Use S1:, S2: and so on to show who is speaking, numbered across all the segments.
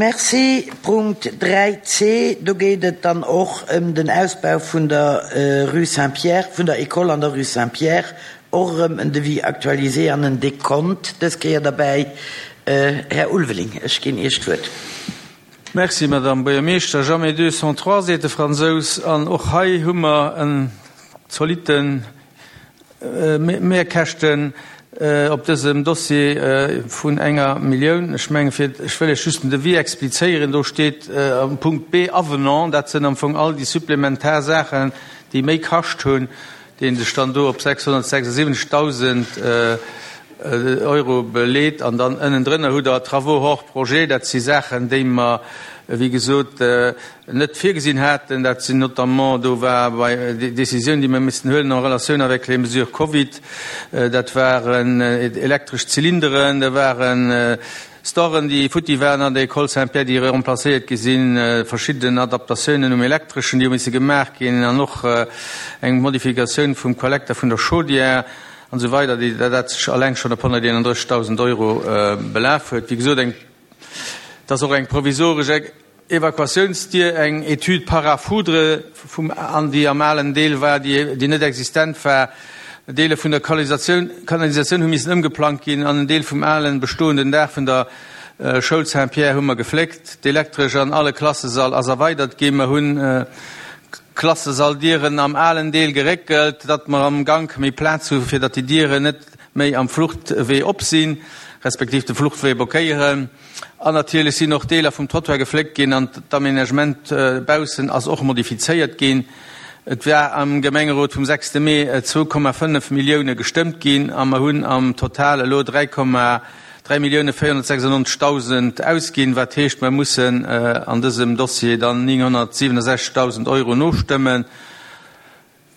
S1: Merci. Punkt 3c, do geet et dann och ëm den Ausbau vun der Rue Saint-Pierre, vun der École an der Rue Saint-Pierre. Och erëm en Devis actualisé an en Dekont dës Kéier derbäi. Här Ulveling, ech ginn Iech d'Wuert.
S2: Merci, Madame Buergermeeschter. Jamais deux sans trois, seet de Fransous. An och hei hu mer en zolitten Mehrkäschten op dësem Dossier vun enger Millioun. Ech mengen, fir, ech wëll Iech just den Devis explizéieren, do steet am Punkt B Avenant, dat sinn am Fong all déi supplementar Saachen, déi méi kascht hunn, dee sech dann do op 676.000 Euro beleet. An dann ënnendrënner hutt Der Travaux hors projet, dat si Saachen, déi mer, wéi gesot, net virgesinn haten. Dat sinn notamment, do war bei déi Décisioun, déi mer missten huelen en relation avec les mesures Covid, dat waren elektresch Zylinderen, dat waren Storen, déi futti waren an der École Saint-Pierre, déi remplacéiert gi sinn, verschidden Adaptatiounen um Elektreschen, déi hu misse gemaach ginn, an och eng Modifikatioun vum Kollekter vun der Chaudière an esou weider, déi dat sech alleng schonn op 131.000 Euro belaf huet. Wéi gesot, eng, et ass och eng provisoresch Evakuatiounsdier, eng Étude parafoudre vum an déi am alen Deel war, déi déi net existent war. Deeler vun der Kanalisatioun Kanalisatioun hu missen ëmgeplangt ginn an en Deel vum alen bestoenden Daach vun der Schoul Saint-Pierre hu mer gefléckt. D'Elektresch an alle Klassesall ass erweidert ginn. Mer hunn d'Klassesalldieren am alen Deel geréckelt, datt mer am Gank méi Plaz hu fir datt déi Dieren net méi am Fluchtwee op sinn, respektiv de Fluchtwee blockéieren. An natierlech sinn och Deeler vum Trottoir gefléckt ginn an d'Aménagement baussen ass och modifizéiert ginn. Et war am Gemengerot vum sechste Mee 2,5 Millioune gestëmmt ginn a mer hunn am Total elo 3,496.000 ausginn, wat heescht, mer mussen an dësem Dossier dann 967.000 Euro nostëmmen.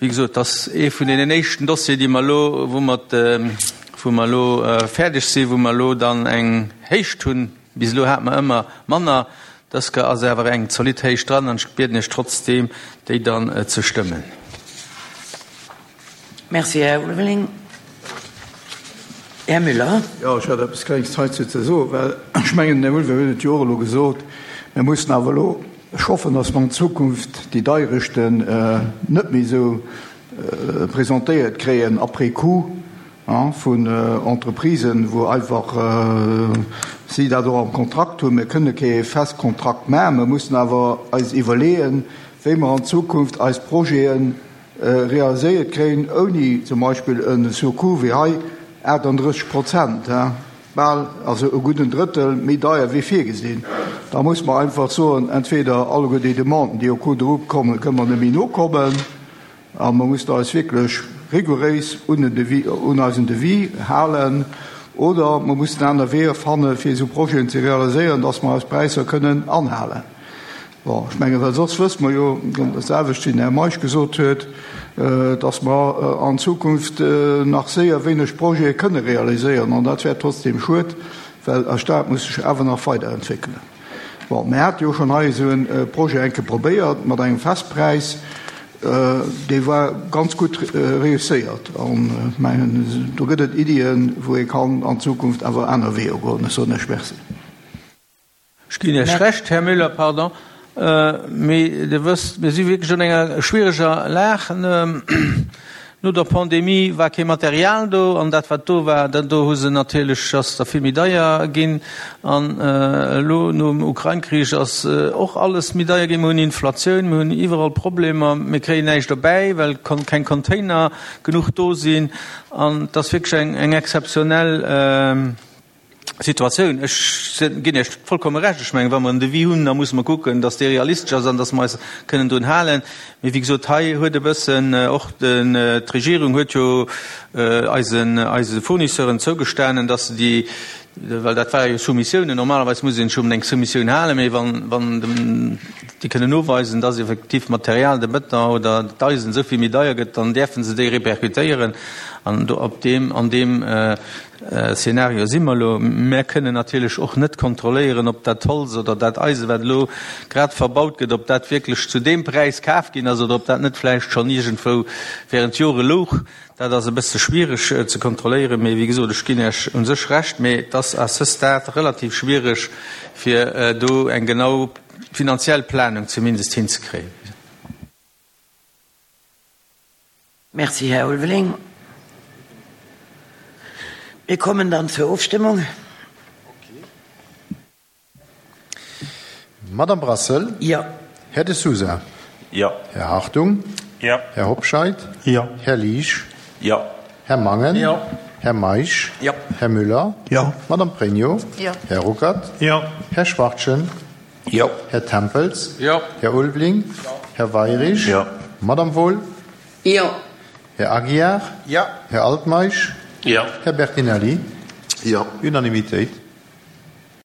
S2: Wéi gesot, et ass ee vun deenen éischten Dossieren, déi mer elo, wou mer, wou mer elo fäerdeg sinn, wou mer elo dann eng Héicht hunn. Bis elo hate mer ëmmer manner. Dës Kéier ass awer eng zolidd Héicht dran an ech bieden Iech trotzdeem, déi dann ze stëmmen.
S1: Merci, Här Ulveling. Här Müller.
S3: Jo, ech hätt eppes Klenges heizou ze soen, well ech mengen, den Här Ulveling huet et jo och elo gesot, mir mussen awer elo, Ech hoffen, dass mer an Zukunft déi Deierechten net méi esou presentéiert kréien après coup vun Entreprisen, wou einfach si dat och am Kontrakt hunn. Mir kënne kee fest Kontrakt maachen, mer mussen awer eis iwwerleeën, wéi mer an Zukunft eis Projete realiséiert kréien, ouni zum Beispill e Surcoût wéi hei 38 Prozent. Bal, also e gudden Drëttel méi deier wéi virgesinn. Da muss mer einfach soen, entweder alleguer déi Demanden, déi au cours de route kommen, kënne mer net méi nokommen a mer mussen eis wierklech rigouréis un den Devis, un eisen Devis halen, oder mer mussen aner Weeër fannen, fir esou Projeten ze realiséieren, dass mer eis Präisser kënnen anhalen. Bon, ech mengen, well soss wësse mer jo, dat selwecht wéi den Här Meisch gesot huet, dass mer an Zukunft nach séier wéineg Projete kënne realiséieren. An dat wär trotzdem schued, well eis Stad muss sech awer nach weiderentwéckelen. Bon, mir hate jo schonn hei esou e Projet eng Kéier probéiert mat engem Festpräis. Dee war ganz gutt reusséiert. An ech mengen, do gëtt et Iddien, wou ee kann an Zukunft awer aner Weeër goen. Ech soen Iech Merci.
S2: Ech ginn Iech Recht, Här Müller, pardon, mee Dir wësst, mir si wierklech an enger schwiereger Lag. No der Pandemie war kee Material do, an dat, wat do war, dat do hu se natierlech, ass da vill méi deier ginn. An elo nom Ukrain-Krich ass och alles méi deier ginn. Mir hunn Inflatioun, mir hunn iwwerall Problemer, mir kréien näischt erbäi, well keng Container genuch do sinn. An et ass wierklech eng exzeptionell Situatioun. Ech ginn Iech vollkomme Recht. Ech mengen, wa mer en Devis hunn, da musse mer kucken, datt dee realistesch ass an datt mer eis kënnen drun halen. Mee wéi gesot, hei huet e bëssen och d'Regierung huet jo eisen, eise Fournisseuren zougestanen, datt se déi, well dat ware jo Soumissiounen, normalerweis muss een sech un eng Soumissioun halen, mee wann, wann dem. Déi kënnen noweisen, dass effektiv d'Material, de Bëton oder d'Eisen esou vill méi deier gëtt, dann däerfe se déi répercutéieren. An do op deem, an deem Szenario si mer elo. Mär kënnen natierlech och net kontrolléieren, ob dat Holz oder dat Eisen, wat elo grad verbaut gëtt, ob dat wierklech zu deem Präis kaf ginn ass oder ob dat net vläicht schonn iergendwou während Jore louch. Dat ass e bësse schwiereg ze kontrolléieren, mee wéi gesot, ech ginn Iech u sech Recht, mee et ass à ce stade relativ schwiereg, fir do eng genau finanziell Planung zumindest hinzekréien.
S1: Merci, Här Ulveling. Mir kommen dann zur Ofstëmmung.
S4: Madame Brassel?
S1: Jo.
S4: Här De Sousa?
S5: Jo.
S4: Här Hartung?
S5: Jo.
S4: Här Hobscheit?
S5: Jo.
S4: Här Liesch?
S5: Jo.
S4: Här Mangen?
S5: Jo.
S4: Här Meisch?
S5: Jo.
S4: Här Müller?
S3: Jo.
S4: Madame Pregno?
S6: Jo.
S4: Här Ruckert?
S5: Jo.
S4: Här Schwachtgen?
S5: Jo.
S4: Här Tempels?
S2: Jo.
S4: Här Ulveling?
S5: Jo.
S4: Här Weirich?
S5: Jo.
S4: Madame Wohl?
S6: Jo.
S4: Här Aguiar?
S5: Jo.
S4: Här Altmeisch?
S5: Jo.
S4: Här Bertinelli?
S5: Jo.
S4: Unanimitéit.